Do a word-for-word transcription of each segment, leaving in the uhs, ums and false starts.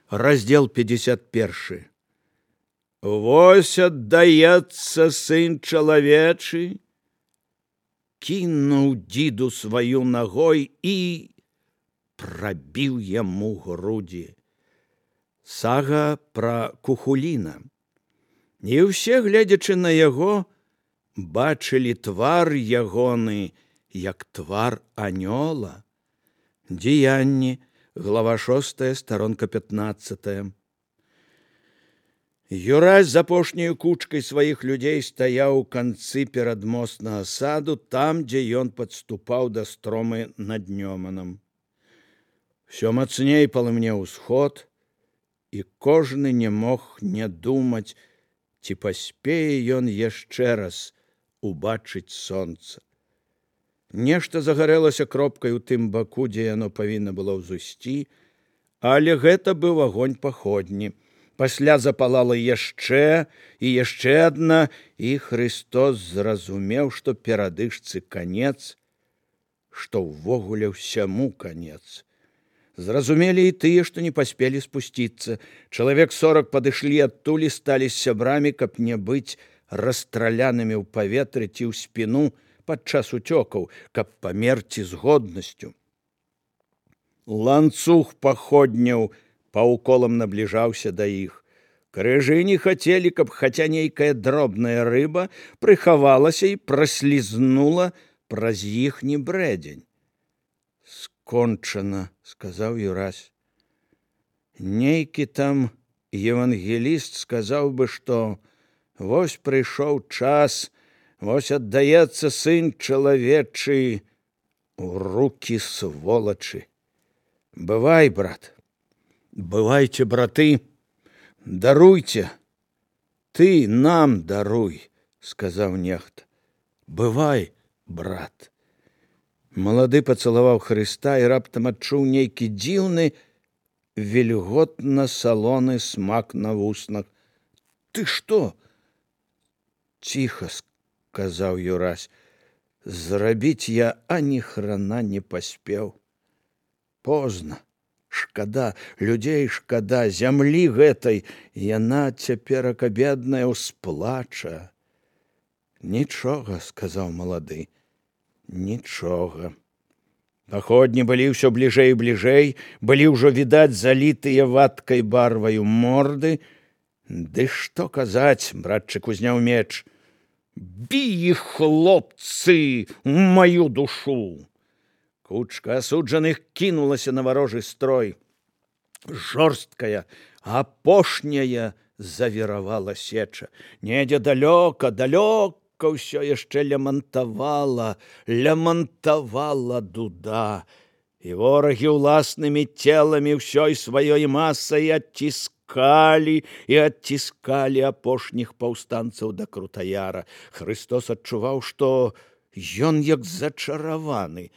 Раздел пятьдесят первый. Вось аддаецца сын чалавечы, кінуў дзіду сваю ногой і прабіў яму грудзі. Сага пра Кухуліна. І ўсе, гледзячы на яго, бачылі твар ягоны, як твар анёла. Дзеянні, глава шостая, старонка пятнадцатая. Юрась з апошняю кучкай сваіх людзей стаяў у канцы перадмоснага саду, там, дзе ён падступаў да стромы над Нёманам. Всё мацней палымнеў усход, і кожны не мог не думаць, ці паспее ён яшчэ раз убачыць сонца. Нешта загарэлася кропкай у тым баку, дзе яно павінна было ўзысці, але гэта быў агонь паходні. Пасля запалала яшчэ і яшчэ адна, і Христос зразумеў, што перадышцы канец, што ўвогуле ўсяму канец. Зразумелі і тыя, што не паспелі спусціцца. Чалавек сорак падышлі адтуль і сталі з сябрамі, каб не быць расстралянымі ў паветры ці ў спіну падчас уцёкаў, каб памерці з годнасцю. Ланцуг паходняў паўколам набліжаўся да іх. Крыжы не хацелі, каб хаця нейкая дробная рыба прыхавалася і праслізнула праз іхні брэдзень. «Скончана», — сказаў Юрась. Нейкі там евангеліст сказаў бы, што вось прыйшоў час, вось аддаецца сын чалавечы у рукі сволачы. Бывай, брат. Бывайце, браты, даруйце. Ты нам даруй, сказаў нехта. Бывай, брат. Малады пацалаваў Хрыста і раптам адчуў нейкі дзіўны, вільготна-салоны смак на вуснах. Ты што? Ціха, сказаў Юрась. Зрабіць я ані храна не паспеў. Позна. Шкада, людзей шкада, зямлі гэтай, яна цяперака бедная ўсплача. Нічога, сказаў малады, нічога. Паходні былі ўсё бліжэй і бліжэй, былі ўжо відаць залітыя вадкай барваю морды. Ды што казаць, братчык узняў меч. Бі іх, хлопцы, маю душу! Кучка асуджаных кінулася на варожы строй. Жорсткая, апошняя завіравала сеча. Недзе далёка, далёка ўсё яшчэ лямантавала, лямантавала дуда. І ворагі ўласнымі целамі ўсёй сваёй масай адціскалі і адціскалі апошніх паўстанцаў да Крутаяра. Хрыстос адчуваў, што ён як зачараваны.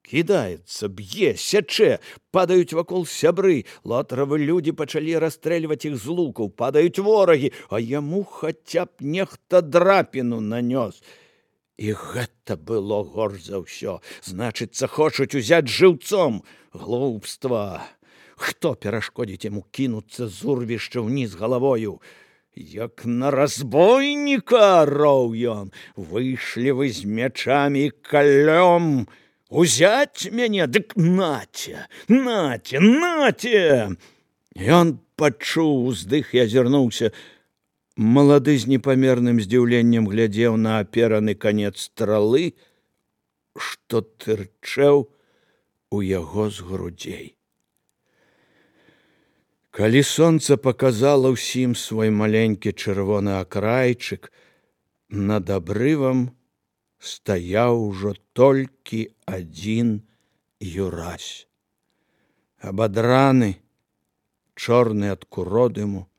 Кідаецца, б'е, сячэ, падаюць вакол сябры. Лотравы людзі пачалі расстрэльваць іх з лукаў, падаюць ворагі, а яму хаця б нехта драпіну нанёс. І гэта было горш за ўсё. Значыцца, хочуць узяць жыўцом. Глупства. Хто перашкодзіць яму кінуцца з урвішча ўніз галавою? Як на разбойніка, роў ён. Выйшлі вы з мячамі і калём. Узяць мяне, дык наце, наце, наце! Ён пачуў уздых і азірнуўся. Малады з непамерным здзіўленнем глядзеў на апераны канец стралы, што тырчэў у яго з грудзей. Калі сонца паказала ўсім свой маленькі чырвоны акрайчык, над абрывам стаяў ужо толькі адзін Юрась. Абадраны, чорны ад куродыму,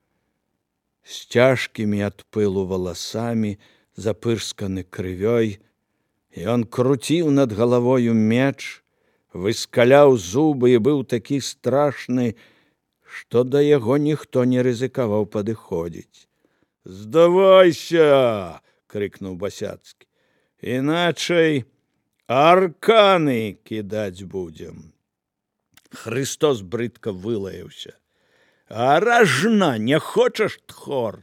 з цяжкімі ад пылу валасамі, запырсканы крывёй, ён круціў над галавою меч, выскаляў зубы і быў такі страшны, што да яго ніхто не рызыкаваў падыходзіць. «Здавайся!» — крыкнуў Басяцкі. «Іначай арканы кідаць будзем». Христос брыдка вылаяўся. А ражна, не хочаш тхор?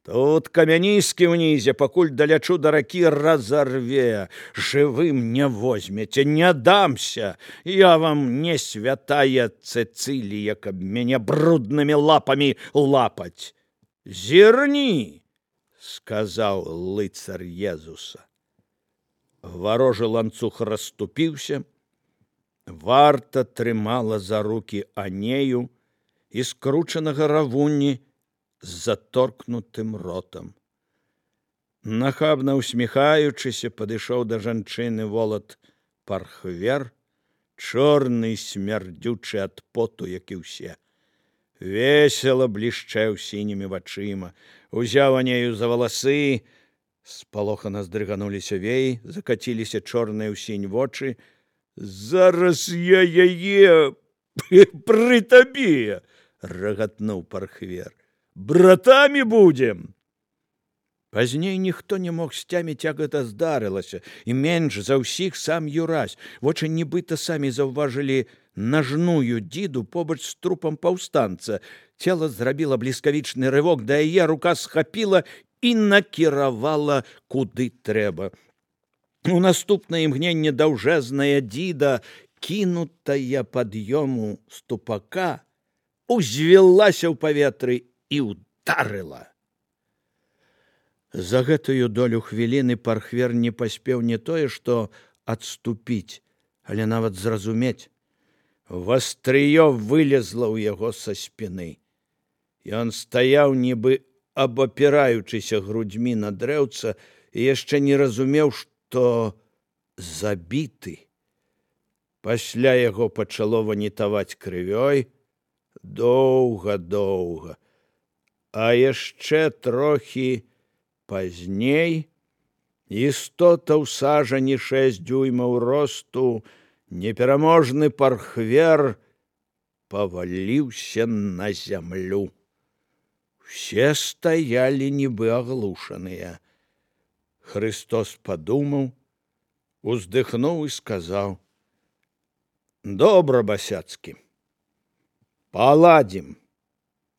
Тут камяніскі ўнізе, пакуль далячу да ракі разарве. Жывым не возьмеце, не дамся. Я вам не святая Цэцылія, каб мяне бруднымі лапамі лапаць. Зірні, сказаў лыцар Езуса. Варожы ланцуг расступіўся, варта трымала за рукі Анею і скручанага Равунні з заторкнутым ротам. Нахабна усміхаючыся, падышоў да жанчыны волат Пархвер, чорны і смярдзючы ад поту, як і ўсе. Весела блішчэў сінімі вачыма, узяў Анею за валасы, спалохана здрыгануліся веі, закаціліся чорныя ў сінь вочы. Зараз я яе пры табе, рагатнуў Пархвер. Братамі будзем. Пазней ніхто не мог сцяміць, як гэта здарылася, і менш за ўсіх сам Юрась. Вочы нібыта самі заўважылі нажную дзіду побач з трупам паўстанца. Цела зрабіла бліскавічны рывок, да яе рука схапіла і накіравала куды трэба. У наступнае імгненне даўжэзная дзіда, кінутая пад'ёму ступака, узвілася ў паветры і ударыла. За гэтую долю хвіліны Пархвер не паспеў не тое, што адступіць, але нават зразумець. Вастрыё вылезла ў яго са спіны. Ён стаяў, нібы абапіраючыся грудзьмі на дрэўца, і яшчэ не разумеў, што забіты. Пасля яго пачало ванітаваць крывёй доўга-доўга. А яшчэ трохі пазней істота ў сажані шэсць дзюймаў росту, непераможны Пархвер паваліўся на зямлю. Усе стаялі нібы аглушаныя. Христос падумаў, уздыхнуў і сказаў: «Добра, Басяцкі, паладзім».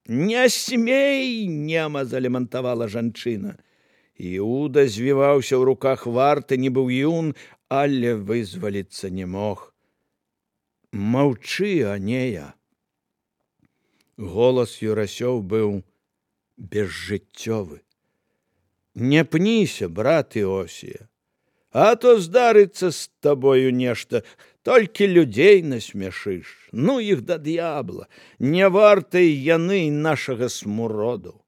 «Не смей!» — нема залемантавала жанчына. Іуда звіваўся ў руках варты, нібы юн, але вызваліцца не мог. «Маўчы, Анея!» Голас Юрасёў быў безжыццёвы. «Не пніся, брат Іосія, а то здарыцца з табою нешта, толькі людзей насмяшыш. Ну іх да д'ябла, не вартыя яны нашага смуроду».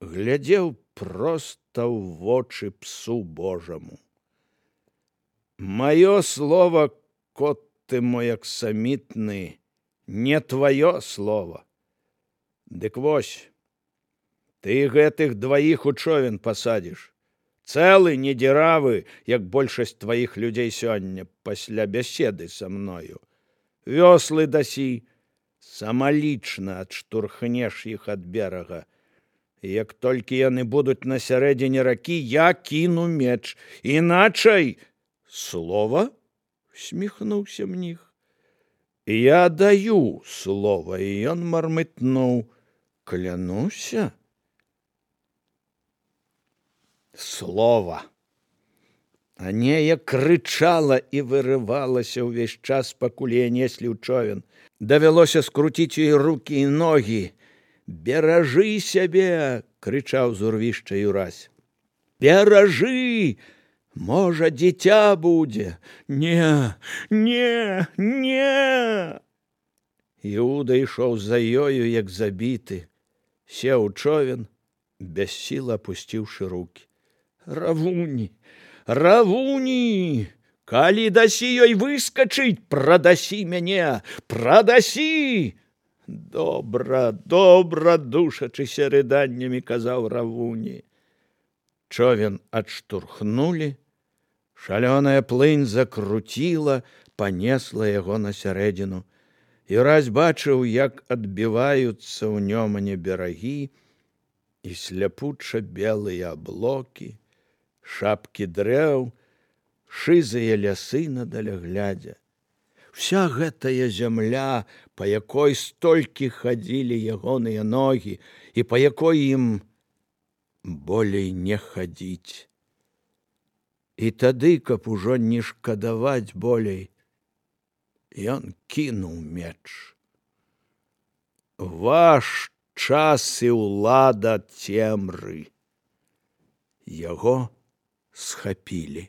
Глядзеў проста ў вочы псу Божаму. «Маё слово, кот ты мой аксамітны, не тваё слово. Дык вось, ты гэтых дваіх у човен пасадзіш. Цэлы, не дзіравы, як большасць тваіх людзей сёння пасля бяседы са мною. Вёслы дасі, самалічна адштурхнеш іх ад берага. Як толькі яны будуць на сярэдзіне ракі, я кіну меч. Іначай...» «Слова?» — усміхнуўся мніх. «Я даю слова», і ён мармытнуў: «Клянуся?» Слова. Анея крычала і вырывалася ўвесь час, пакуль яе неслі ў човен. Давялося скруціць ёй рукі і ногі. «Беражы сябе!» — крычаў з урвішча Юрась. «Беражы! Можа, дзіця будзе! Не, не, не!» Іуда ішоў за ёю, як забіты. Сеў у човен, без сіл апусціўшы рукі. «Равуні! Равуні! Калі дасі ёй выскачыць, прадасі мяне! Прадасі!» «Добра, добра!» — душачыся рыданнямі казаў Равуні. Човен адштурхнулі, шалёная плынь закруціла, панесла яго на сярэдзіну. Юрась бачыў, як адбіваюцца ў нёмане берагі і сляпуча белыя аблокі, шапкі дрэў, шызыя лясы на даляглядзе. Вся гэтая зямля, па якой столькі хадзілі ягоныя ногі і па якой ім болей не хадзіць. І тады, каб ужо не шкадаваць болей, ён кінуў меч. Ваш час і ўлада цемры. Яго схапілі.